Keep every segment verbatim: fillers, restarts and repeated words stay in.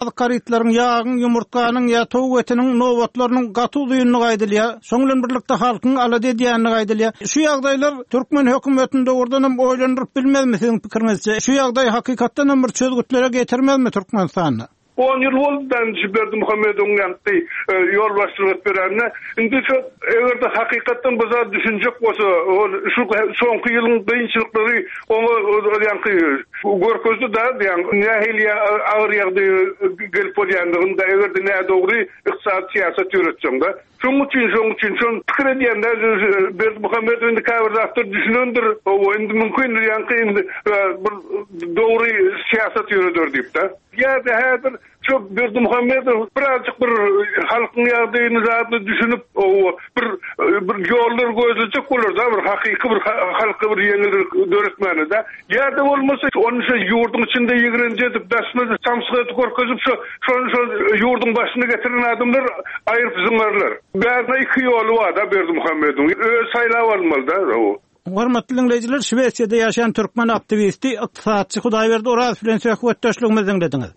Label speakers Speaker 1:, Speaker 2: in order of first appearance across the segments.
Speaker 1: Azyk harytlaryň, ýagyň, ýumurtganyň ýa towuk etiniň nobatlarynyň gaty uzyndygy aýdylýar. Şoň bilen birlikde halkyň alada edýändigi aýdylýar. Şu ýagdaýlar türkmen hökümetini dogrudan hem oýlandyryp bilmezmi siziň pikiriňizçe? Şu ýagdaý hakykatdan hem bir çözgütlere getirmezmi Türkmenistanda?
Speaker 2: On ýyl boldy da indi şu Berdimuhamedowyň ýaňky ýolbaşçylyk edip berenine. Indi şu eger-de hakykatdan bu zat düşünjek bolsa, ol şu soňky ýylyň kynçylyklary oňa ýaňky görkezdi da, ýaňky nähili agyr ýagdaýa gelip bolýandygyny-da, eger-de nädogry ykdysady syýasat ýöretseň-de. Şonuň üçin, şonuň üçin şony pikir edýän-de, Berdimuhamedow indi käbir zatlar düşünendir, hawa, indi mümkindir ýaňky indi bir dogry syýasat ýöreder diýip-de. Ýa-da häzir şo Berdimuhamedow birazjyk bir halkyň ýagdaýyny zadyny düşünip, hawa, bir bir ýollar gözlejek bolar-da, bir hakyky bir halka bir ýeňillik döretmäne-de. Ýa-da bolmasa ony şo ýurduň içinde ýigrenji edip, daşyna samsyk edip görkezip, şo şony şo ýurduň başyna getiren adamlar aýryp zyňarlar. Bärde iki ýoly bar-da Berdimuhamedowyň. Özi saýlap almaly-da, hawa.
Speaker 1: Hormatly diňleýjiler, Şwesiýada ýaşaýan türkmen aktiwisti, ykdysatçy Hudaýberdi Orazow bilen söhbetdeşligimizi diňlediňiz.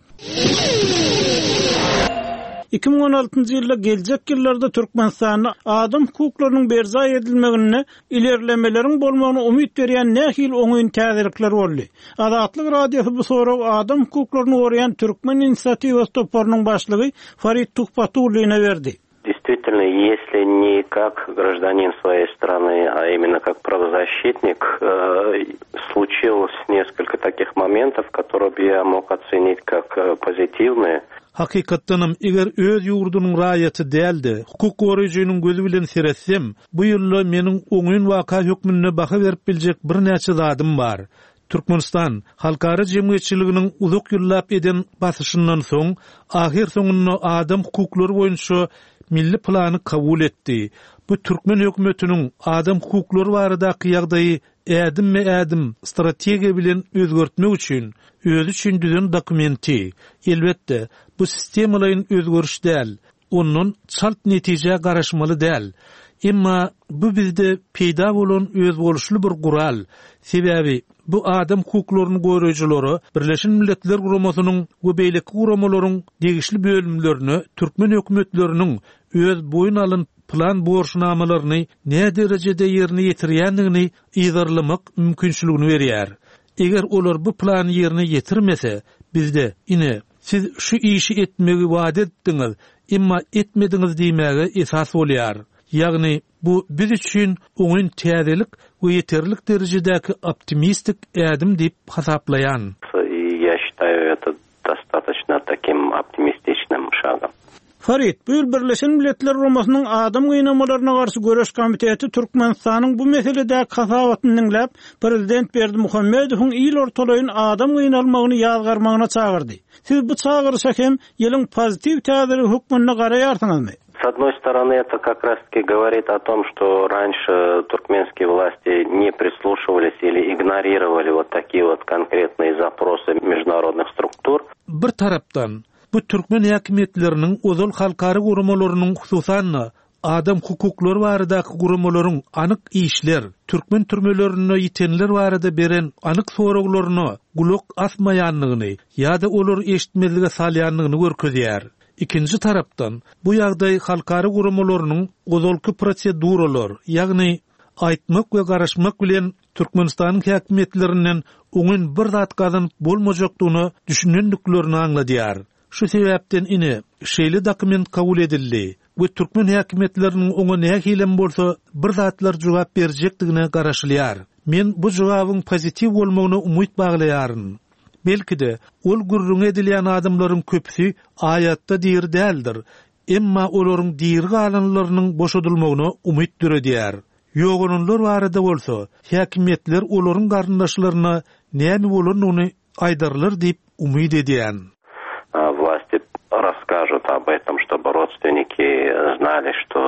Speaker 1: Iki müň on altynjy ýylda geljek ýyllarda Türkmenistanda adam hukuklarynyň berjaý edilmeginde ilerlemeleriň bolmagyna umyt berýän nähili oňyn täzelikler boldy? Azatlyk Radiosy bu soragy adam hukuklaryny goraýan Türkmen inisiatiwasy toparynyň başlygy Farid Tuhbatullina berdi.
Speaker 3: Действительно, если не как гражданин своей страны, а именно как правозащитник, э, случилось несколько таких моментов, которые бы я мог оценить как, э, позитивные.
Speaker 4: Hakykatdanam eger öz ýurdunyň raýaty däldi, hukuk goraýjynyň gözi bilen seretsem, bu ýylda meniň oňyn waka hökmünde baha berip biljek birnäçe zadym bar. Türkmenistan halkara jemgyýetçiliginiň uzak ýyllap eden basyşyndan soň ahyr soňunda adam hukuklary boýunça milli plany kabul etdi. Bu türkmen hökümetiniň adam hukuklary baradaky ýagdaýy ädim we ädim strategiýa bilen özgertmek üçin özi üçin düzen dokumenti. Elbetde, bu sistemalaýyn özgeriş däl, ondan çalt netije garaşmaly däl. Emma bu bizde peýda bolan özboluşly bir gural. Sebäbi bu adam hukuklaryny goraýjylara Birleşen Milletler Guramasynyň we beýleki guramalaryň degişli bölümlerine türkmen hökümetleriniň öz boýun alyn plan borçnamalaryny ne derejede ýerine ýetirýändigini yzarlamak mümkinçiligini berýär. Eger olar bu plany ýerine ýetirmese, bizde ine siz şu işi etmegi wada etdiňiz, emma etmediňiz diýmäge esas bolýar. Ýagny bu biz üçin oňyn täzelik we ýeterlik derejedäki optimistik ädim diýip hasaplaýan.
Speaker 3: И я считаю это достаточно таким optimističным шагом.
Speaker 1: Farid, bu ýyl Birleşen Milletler Guramasynyň adam gynamalaryna garşy göreş komiteti Türkmenistanyň bu meseledäki hasabatyny diňläp, Prezident Berdimuhamedowyň ýyl ortalaýyn adam gynalmagyny ýazgarmagyna çagyrdy. Siz bu çagyryşa hem ýylyň pozitiw täzeligi hökmünde garaýarsyňyzmy?
Speaker 3: С одной стороны, это как раз-таки говорит о том, что раньше туркменские власти не прислушивались или игнорировали вот такие вот конкретные запросы международных структур.
Speaker 4: Bir tarapdan bu türkmen häkimiýetleriniň ozal halkara guramalarynyň hususan adam hukuklary baradaky guramalaryň anyk işler, türkmen türmelerinde ýitenler barada beren anyk soraglaryna gulak asmaýanlygyny ýa-da olar eşitmezlige salýanlygyny görkezýär. Ikinji tarapdan bu ýagdaý halkara guramalarynyň ozalky proseduralar, ýagny aýtmak we garaşmak bilen Türkmenistanyň häkimiýetlerinden oňyn bir zat gazanyp bolmajakdygyny düşünendiklerini aňladýar. Şu sebäpden ine şeýle dokument kabul edildi we türkmen häkimiýetleriniň oňa nähilem bolsa bir zatlar jogap berjekdigine garaşylýar. Men bu jogabyň pozitiw bolmagyna umyt baglaýaryn. Belki de ol gürrüň edilýän adamlaryň köpüsi aýatda diri däldir. Emma olaryň diri galanlarynyň boşadylmagyna umyt döredýär. Ýogalanlar barada bolsa, häkimiýetler olaryň garyndaşlaryna näme bolanyny aýdarlar diýip umyt edýän.
Speaker 3: Власти расскажут об этом, чтобы родственники знали, что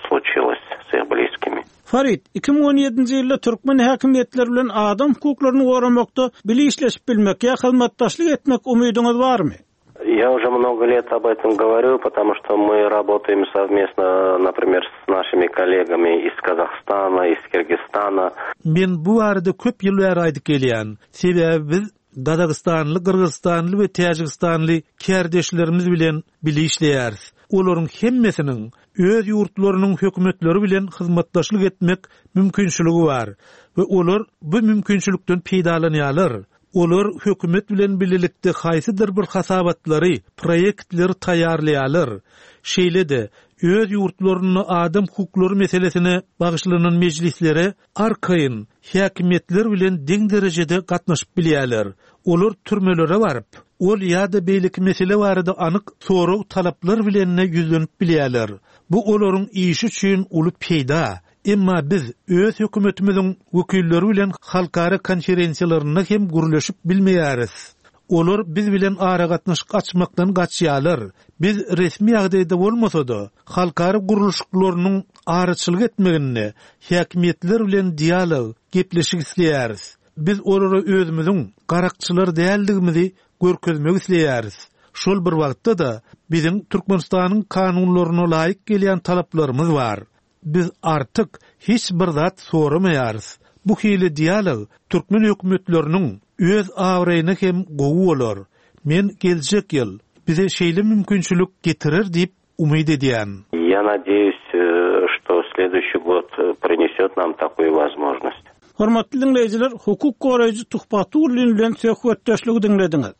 Speaker 3: случилось с их близкими.
Speaker 1: Farid, iki müň on ýedinji ýylda türkmen häkimiýetleri bilen adam hukuklaryny goramakda bile işleşip bilmek ýa hyzmatdaşlyk etmek umydyňyz barmy?
Speaker 3: Я уже много лет об этом говорю, потому что мы работаем совместно, например, с нашими коллегами из Казахстана, из Киргизстана.
Speaker 4: Men bu barada köp ýyl bäri aýdyp gelýän. Sebäbi biz Gazagystanly, Gyrgyzystanly we Täjigistanly kärdeşlerimiz bilen bile işleýäris. Olaryň hemmesiniň öz ýurtlarynyň hökümetleri bilen hyzmatdaşlyk etmek mümkinçiligi bar we olar bu mümkinçilikden peýdalanýarlar. Olar hökümet bilen birlikde haýsydyr bir hasabatlary, proýektleri taýýarlaýarlar. Şeýle-de öz ýurtlarynda adam hukuklary meselesine bagyşlanan mejlislere arkaýyn häkimiýetler bilen deň derejede gatnaşyp bilýärler. Olar türmelere baryp, ol ýa-da beýleki mesele barada anyk sorag talaplar bilen ýüzlenip bilýärler. Bu olaryň işi üçin uly peýda. Emma biz öz hökümetimiziň wekilleri bilen halkara konferensiýalarynda hem gürleşip bilmeýäris. Olar biz bilen aragatnaşyk açmakdan gaçýarlar. Biz resmi ýagdaýda bolmasa-da, halkara gurluşyklarynyň araçylyk etmeginde häkimiýetler bilen dialog, gepleşik isleýäris. Biz olara özümiziň garakçylar däldigimizi görkezmek isleýäris. Şol bir wagtda-da biziň Türkmenistanyň kanunlaryna laýyk gelýän talaplarymyz bar. Biz artyk hiç bir zat soramaýarys. Bu hili dialog türkmen hökümetleriniň öz abraýyna hem gowy bolar. Men geljek ýyl bize şeýle mümkinçilik getirer diýip umyt edýän.
Speaker 3: Я надеюсь, э, что следующий год э, принесет нам такую возможность.
Speaker 1: Hormatly diňleýjiler, hukuk goraýjy Tuhbatullin bilen söhbetdeşligi diňlediňiz.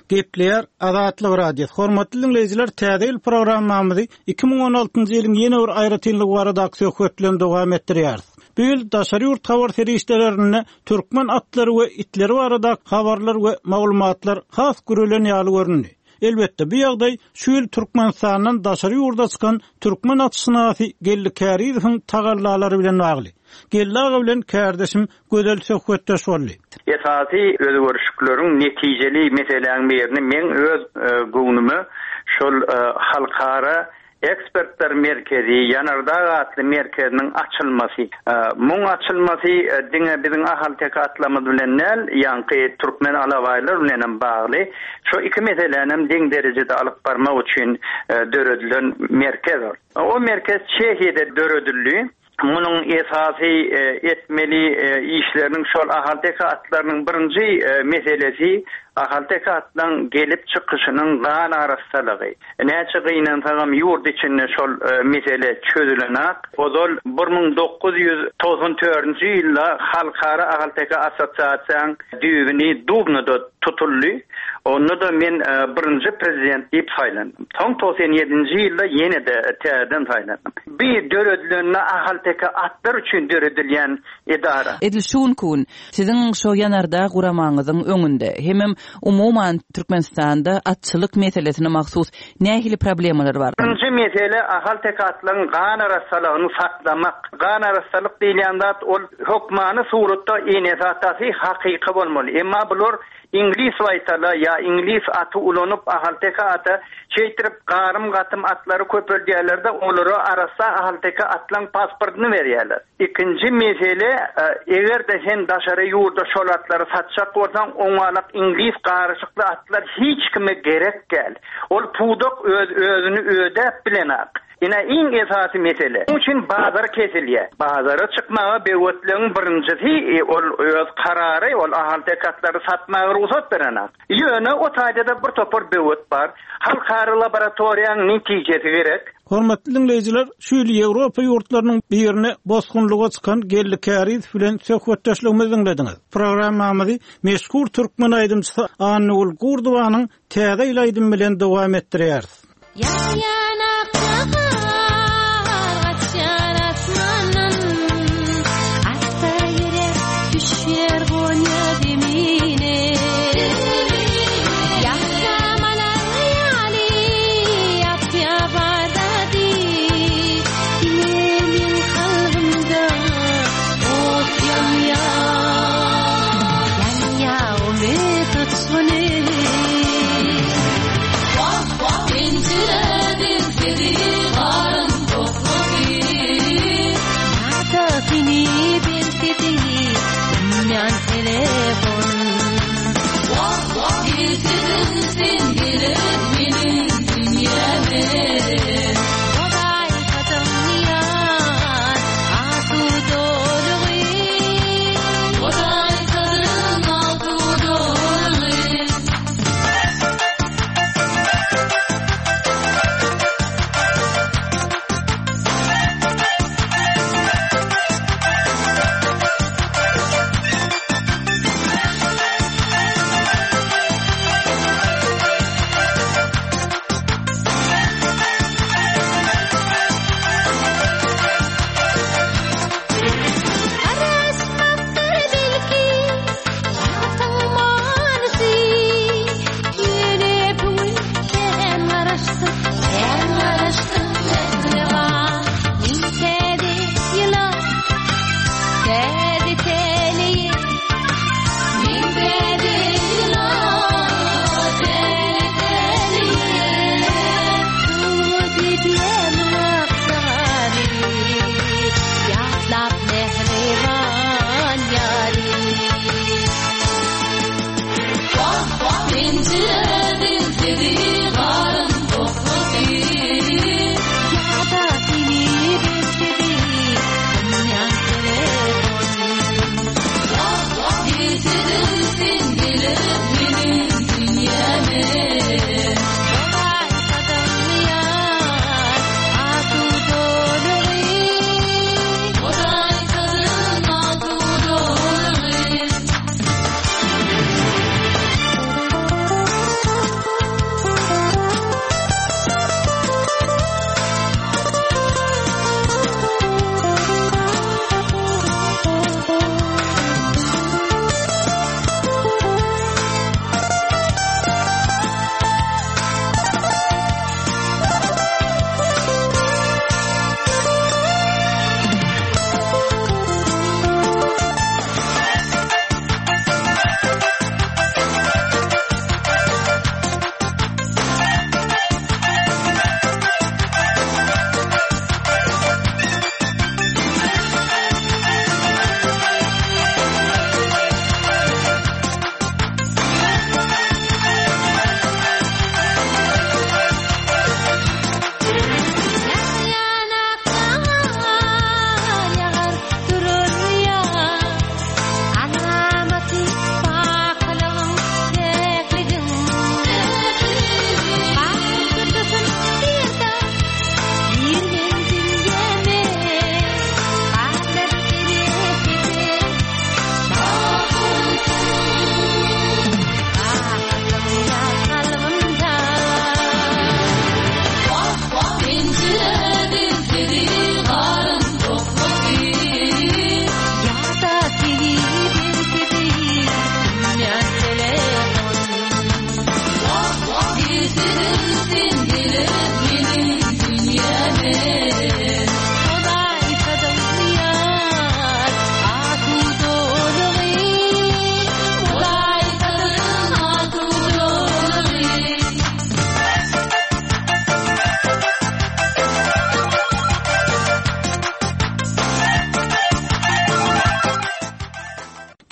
Speaker 1: Gepleýär Azatlyk Radiosy. Hormatly diňleýjiler, täze ýyl programmamyzy iki müň on altynjy ýylyň ýene bir aýratynlygy baradaky söhbet bilen dowam etdirýäris. Bu ýyl daşary ýurt habar serişdelerinde türkmen atlary we itleri baradaky habarlar we maglumatlar has gürelen ýaly göründi. Elbetde bu ýagdaý şu ýyl Türkmenistandan daşary ýurda çykan türkmen atşynasy Geldi Kärizowyň tagallalary bilen bagly. Geldi aga bilen kärdeşim Gözel söhbetdeş boldy.
Speaker 5: Esasy özgerişlikleriň netijeli meseläň birini men öz, e, göwnüme şol, e, halkara ekspertler merkezi Ýanardag atly merkeziniň açylmasy. E, muň açylmasy, e, diňe biziň Ahalteke atlamyz bilen däl, ýaňky türkmen alabaýlar bilen hem bagly. Şu iki meseläni hem deň derejede alyp barmak üçin, e, döredilen merkez ol. O merkez Çehiýede döredildi. Munuň esasy, e, etmeli, e, işleriniň şol Ahalteke atlarynyň birinji, e, meselesi Ahalteke atlaryň gelip çykyşynyň gan arassalygy. Näçe gynansagam ýurt içinde şol, e, mesele çözülenak. Ozal bir müň dokuz ýüz togsan dördünji ýylda Halkara Ahalteke Assosiasiýanyň düýbüni Dubnada tutuldy. Onda da men, e, birinji prezident diýip saýlandym. Soň togsan ýedinji ýylda ýene de täzeden saýlandym. Bir döredilenine Ahalteke atlar üçin döredilýän edara.
Speaker 6: Edil şu gün siziň şo Ýanardag guramaňyzyň öňünde hemem umuman Türkmenistanda atçylyk meselesine mahsus nähili problemalar bar?
Speaker 5: Birinji mesele Ahalteke atlaryň gan arassalygyny saklamak. Gan arassalyk diýilýän zat ol hökmany suratda enesi atasy hakyky bolmaly. Emma bular İngiliz waýtala ýa İngiliz aty ulanyp Ahalteke ata şeýtirip garym gatym atlary köpeldýärler-de olara arassa Ahalteke atlaryň pasportyny berýärler. Ikinji mesele, e, eger-de sen daşary ýurda şol atlary satjak bolsaň, oňalak İngiliz garyşykly atlar hiç kime gerek gel. Ol pudak öz özüni ödäp bilenak. Ine iň esasy mesele. Onuň üçin bazar kesilýär. Bazara çykmaga bewetligiň birinjisi, e, ol öz karary, ol Ahalteke atlary satmaga rugsat berenak. Ýöne o taýda bir topar bewet bar. Halkara laboratoriýanyň netijesi gerek.
Speaker 1: Hormatly diňleýjiler, şu ýyl Ýewropa ýurtlarynyň birine bosgunlyga çykan Geldi Kärizow bilen söhbetdeşligimizi diňlediňiz. Programmamyzy meşhur türkmen aýdymçysy Annagül Gurdowanyň Täze ýyl aýdymy bilen dowam etdirýäris.
Speaker 7: Ýa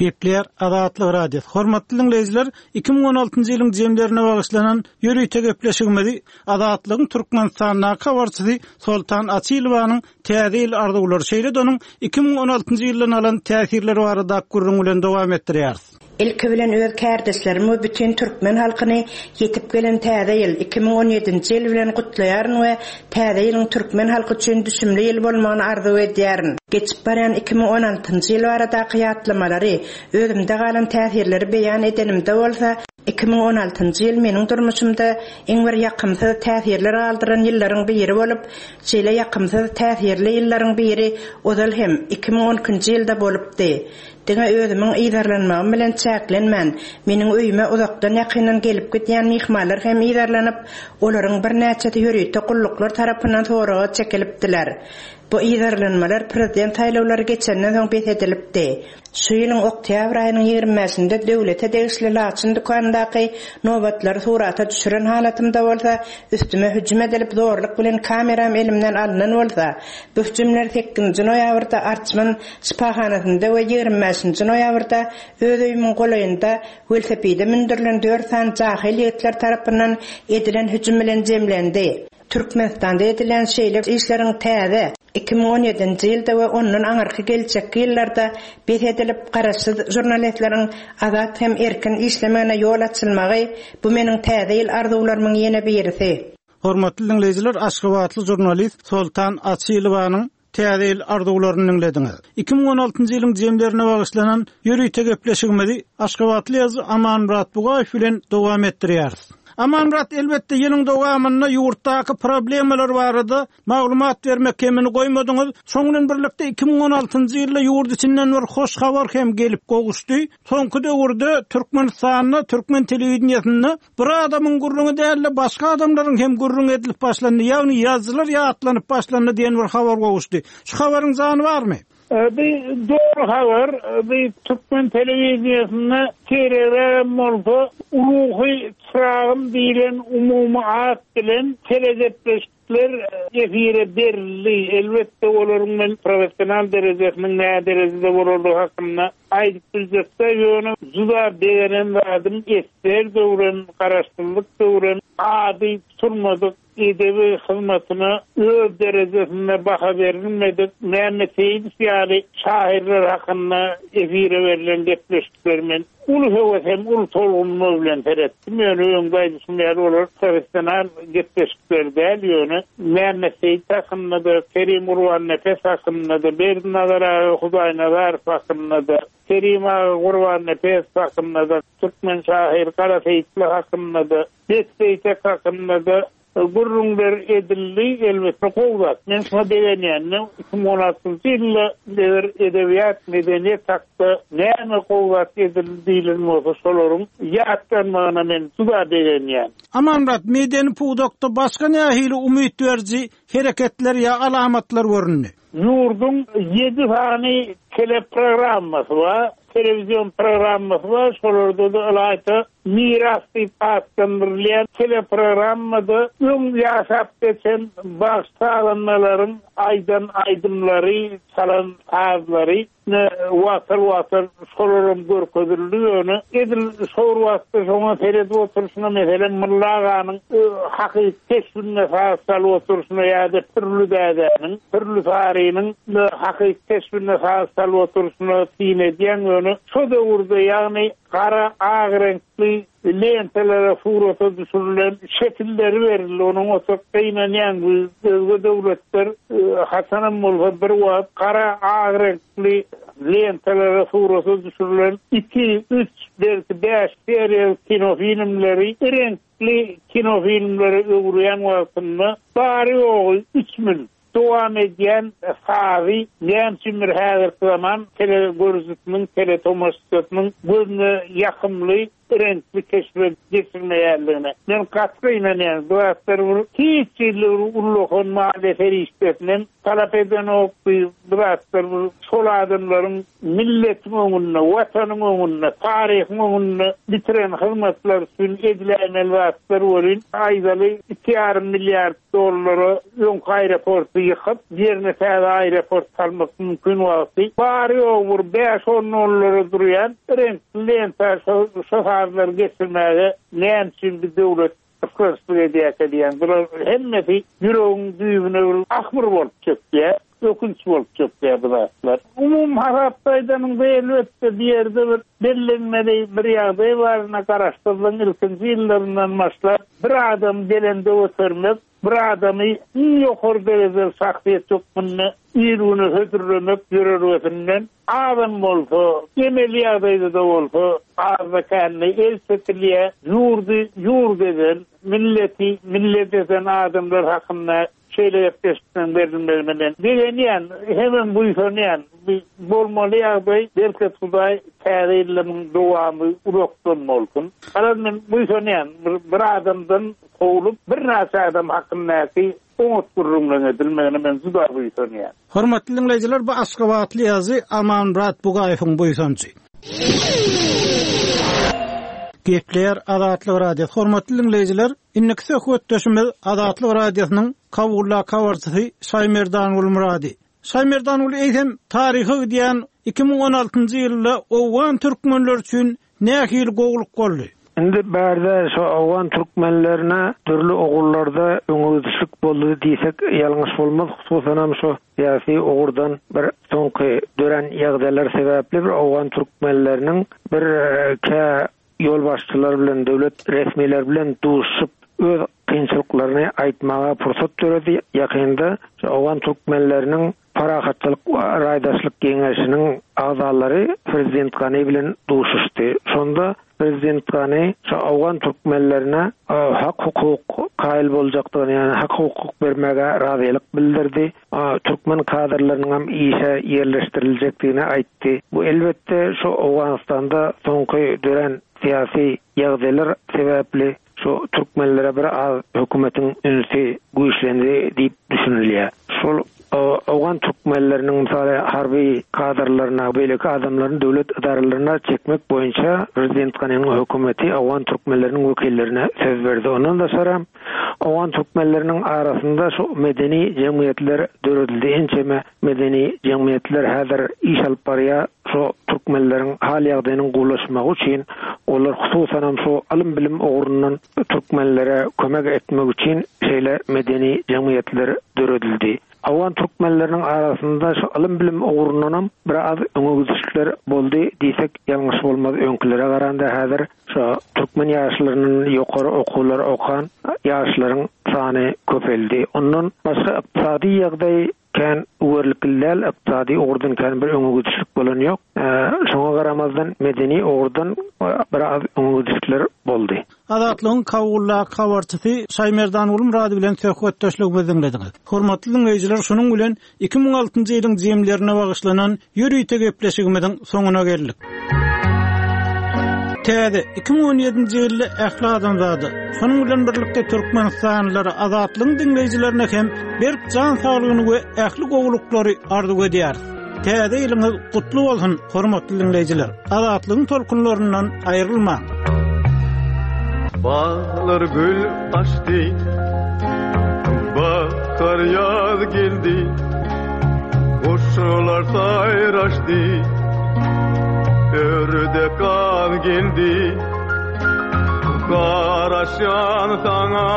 Speaker 1: Gepleýär Azatlyk Radiosy. Hormatly dinleýjiler, iki müň on altynjy ýylyň jemlerine bagyşlanan ýörite gepleşigimizi Azatlygyň Türkmenistandaky habarçysy Soltan Açylowanyň täze ýyl arzuwlary, şeýle-de onuň iki müň on altynjy ýyldan alan täsirleri barada gürrüň bilen dowam etdirýäris.
Speaker 7: Ilki bilen öz kärdeşlerim we bütün türkmen halkyny ýetip gelen täze ýyl iki müň on ýedinji ýyl bilen gutlaýaryn we täze ýylyň türkmen halky üçin düşümli ýyl bolmagyny arzuw edýärin. Geçip barýan iki müň on altynjy ýyl baradaky ýatlamalary, özümde galan täsirleri beýan edenimde bolsa, iki müň on altynjy ýyl meniň durmuşymda iň bir ýakymsyz täsirler galdyran ýyllaryň biri bolup, şeýle ýakymsyz täsirli ýyllaryň biri ozal hem iki müň on ikinji ýylda bolupdy. Diňe özümiň yzarlanmagym bilen çäklenmän, meniň öýüme uzakdan ýakyndan gelip gidýän myhmanlar hem yzarlanyp, olaryň birnäçesi ýörite gulluklar tarapyndan soraga çekilipdiler. Bu yzarlanmalar prezident saýlawlary geçenden soň bes edilipdi. Şu ýylyň oktýabr aýynyň ýigrimi bäşinde döwlete degişli Laçyn dükanyndaky nobatlary surata düşüren halatymda bolsa, üstüme hüjüm edilip zorluk bilen kameram elimden alynan bolsa, bu hüjümler sekizinji noýabrda Arçman şypahanasynda we ýigrimi bäşinji noýabrda öz öýümiň golaýynda welosipede mündürilen dört sany jahil ýigitler tarapyndan edilen hüjüm bilen jemlendi. Türkmenistanda edilen şeýle işleriň täze iki müň on ýedinji ýylda we ondan aňyrky geljekki ýyllarda bes edilip garaşsyz žurnalistleriň azat hem erkin işlemegine ýol açylmagy bu meniň täze ýyl arzuwlarymyň ýene birisi.
Speaker 1: Hormatly dinleýjiler, Aşgabatly žurnalist Soltan Açylowanyň täze ýyl arzuwlaryny dinlediňiz. Iki müň on altynjy ýylyň jemlerine bagyşlanan ýörite gepleşigimizi Aşgabatly ýazyjy Amanmyrat Bugaýew bilen dowam etdirýäris. Amanmyrat, elbetde ýylyň dowamynda ýurtdaky problemalar barada maglumat bermek kemini goýmadyňyz. Şoň bilen birlikde iki müň on altynjy ýylda ýurt içinden bir hoş habar hem gelip gowuşdy. Soňky döwürde Türkmenistanda, türkmen telewideniýesinde bir adamyň gürrüňi däl-de başga adamlaryň hem gürrüň edilip başlandy. Ýagny ýazyjylar ýatlanyp başlandy diýen bir habar gowuşdy. Şu habaryň jany barmy?
Speaker 8: Bir doğru habar, bir Türkmen telewideniýesinde T R bolsa, Ruhy Çyragym diýlen umumy at bilen telegepleşikler efire berildi. Elbetde olaryň men professional derejesiniň nä derejede bolandygy hakynda aýdyp biljekde, ýöne juda begenen zadym esger döwrem, garaşsyzlyk döwrem ady tutulmadyk edebi hyzmatyna öz derejesinde baha berilmedik Mehmet Seyit ýaly şairler hakynda efire berlen gepleşikler men uly höwes hem uly tolgunma bilen seretdim. Ýöne öňde aýdyşym ýaly olar professional gepleşikler däl, ýöne Mehmet Seyit hakynda da, Kerim Gurbannepes hakynda da, Berdinazar aga Hudaýnazarow hakynda da, Kerim aga Gurbannepes hakynda da, Türkmen şair Gara Seýitli hakynda da, Bek Seýtek hakynda da gürrüňler edildi, elbetde gowy zat. Men şuna begenýändim. Iki müň on altynjy ýylda eger edebiýat, medeniýet hakda näme gowy zat edildi diýilen bolsa, şolaryň ýatlanmagyna men juda begenýän.
Speaker 1: Amanmyrat, medeni pudakda başga nähili umyt beriji hereketler ýa alamatlar göründi?
Speaker 8: Ýurduň ýedi sany teleprogrammasy bar, televizyon programmasy bar, şolarda da ylaýta miras diýip atlandyrylýan teleprogrammada öň ýaşap geçen bagşy-sazandalaryň aýdan aýdymlary, çalan sazlary ne wagtal-wagtal şolaram görkezildi. Ýöne edil şol wagtda şoňa seredip oturyşyna, meselem, Molla aganyň, e, hakyky keşbinde saz çalyp oturyşyna ýa-da Pürli dädäniň, Pürli Sarynyň, e, hakyky keşbinde saz çalyp oturyşyna syn edýän, ýöne şo döwürde, ýagny gara ak reňkli lentelere surata düşürilen şekilleri berildi. Onuň oturyp gynanýan bu özge döwletler, e, haçanam bolsa bir wagt gara ak reňkli lentelere surata düşürilen iki, üç, belki bäş seriýaly kinofilmleri reňkli kinofilmlere öwürýän wagtynda bary ýogy üç müň dowam edýän sazy näme üçindir häzirki zaman telegörüjisiniň, teletomaşaçysynyň gözüne ýakymly reňkli keşbe geçirmeýärligine. Men gaty ynanýan, bu zatlar bir hiç hili bir ullakan maliýe serişdesinden talap edenok, bu zatlar bir şol adamlaryň milletiň öňünde, watanyň öňünde, taryhyň öňünde bitiren hyzmatlar üçin ediläýmeli zatlar welin, aýdaly iki ýarym milliard dollara öňki aeroporty ýykyp, ýerine täze aeroport salmak mümkin wagty, bary ýogy bir bäş on dollara durýan reňkli lenta şo, şo sazlary geçirmäge näme üçin bir döwlet ysgynsyzlyk edýärkä diýen. Bular hemmesi ýüregiň düýbüne bir ahmyr bolup çökýär, ökünç bolup çökýär bu zatlar. Umumy hasapda aýdanyňda elbetde bir ýerde bir bellenmeli bir ýagdaý bar, ine garaşsyzlygyň ilkinji ýyllaryndan başlap bir adam belende götermek, bir adamy iň ýokary derejeli şahsyýet hökmünde il güne hödürlemek ýörelgesinden azam bolsa, emeli ýagdaýda-da bolsa, azda kände el çekilýär, ýurdy ýurt eden, milleti millet eden adamlar hakynda şeýle gepleşikden berilmegine men begenýän, hemem buýsanýan. Bu bolmaly ýagdaý, bereket Hudaý täze ýyllaryň dowamy uzakdan bolsun. Garaz men buýsanýan, bir, bir adamdan kowlup, birnäçe adam hakyndaky oňat gürrüňleň edilmegine men juda buýsanýan.
Speaker 1: Hormatly diňleýjiler, bu Aşgabatly ýazyjy Amanmyrat Bugaýewiň buýsanjy. Gepleýär Azatlyk Radiosy. Hormatly diňleýjiler, indiki söhbetdeşimiz Azatlyk Radiosynyň Kabuldaky habarçysy Şaýmerdan Gulmyrady. Şaýmerdan Gul, eýsem taryha gidýän iki müň on altynjy ýylda Owgan türkmenler üçin nähili gowulyk boldy?
Speaker 9: Indi bärde şu Owgan türkmenlerine dürli ogullarda öňe gidişlik boldy diýsek ýalňyş bolmaz. Hususan hem şu syýasy ugurdan bir soňky dören ýagdaýlar sebäpli bir Owgan türkmenleriniň bir, e, kä ýolbaşçylar bilen, döwlet resmiler bilen duşup öz kynçylyklaryny aýtmaga pursat döredi. Ýakynda şu Owgan türkmenleriniň Parahatçylyk we Raýdaşlyk Geňeşiniň agzalary Prezident Gani bilen duşuşdy. Şonda Prezident Gani şu Owgan türkmenlerine, e, hak hukuk kaýyl boljakdygyny, ýagny hak hukuk bermäge razylyk bildirdi. E, türkmen kadrlarynyň hem işe ýerleşdiriljekdigini aýtdy. Bu elbetde şu Owganystanda soňky dören syýasy ýagdaýlar sebäpli şu türkmenlere bir az hökümetiň ünsi güýçlendi diýip düşünilýär. Şol, e, Owgan türkmenleriniň mysaly harby kadrlaryna, beýleki adamlaryň döwlet edaralaryna çekmek boýunça Prezident Ganiniň hökümeti Owgan türkmenleriniň wekillerine söz berdi. Ondan daşary Owgan türkmenleriniň arasynda şu medeni jemgyýetler döredildi. Ençeme medeni jemgyýetler häzir iş alyp barýar. Şu türkmenleriň hal ýagdaýynyň gowulaşmagy üçin olar hususan hem şu ylym bilim ugrundan türkmenlere kömek etmek üçin şeýle medeni jemgyýetler döredildi. Owgan türkmenleriniň arasynda şu ylym bilim ugrundan hem biraz öňe gidişlikler boldy diýsek ýalňyş bolmaz. Öňkülere garanda häzir şu türkmen ýaşlarynyň ýokary okuwlar okan ýaşlaryň sany köpeldi. Ondan başga ykdysady ýagdaý kän uwerlikli däl, ykdysady ugurdan kän bir öňe gidişlik bolan ýok. Ee, şoňa garamazdan medeni ugurdan biraz öňe gidişlikler boldy.
Speaker 1: Azatlygyň Kabuldaky habarçysy Şaýmerdan Gulmyrady bilen söhbetdeşligimizi diňlediňiz. Hormatly diňleýjiler, şunuň bilen iki müň altynjy ýylyň jemlerine bagyşlanan ýörite gepleşigimiziň soňuna geldik. Täze iki müň on ýedinji ýylda ähli adamzada, şonuň bilen birlikde Türkmenistanlylara, Azatlygyň diňleýjilerine hem berk jan saglygyny we ähli gowulyklary arzuw edýäris. Täze ýylyňyz gutly bolsun, hormatly diňleýjiler. Azatlygyň tolkunlaryndan aýrylmaň.
Speaker 10: Bağlar gül açdy, bahar ýaz geldi, guşlar saýraşdy, ördek gaz geldi. Garaşan sana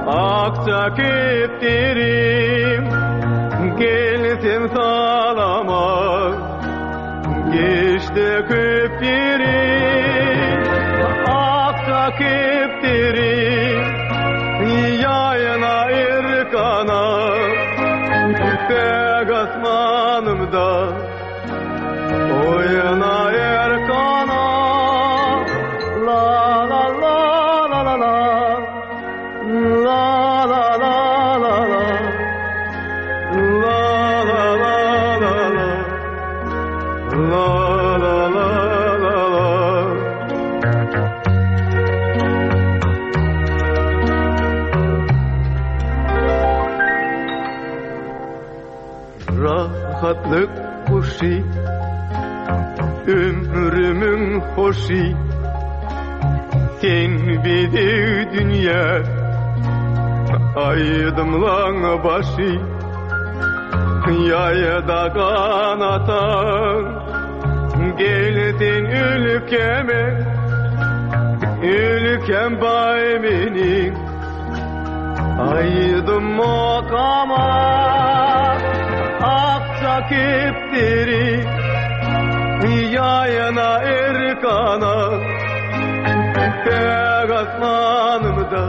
Speaker 10: akça keptirim, gelsin salama, geçti köptirim, akça keptirim, yayına irkana, yüksek asmanımda, oyuna erkana. La la la la la la, la la la la la, la la la la la, la la la la la. Şatlyk guşy, ömrümiň hoşy. Sen bedew dünýä, aýdymlaň başy. Ýaýda ganatan, gel sen ülkeme, ülkem baý meniň. Aýdym okama, akja kepderi, ýaýna erkana, päk asmanymda.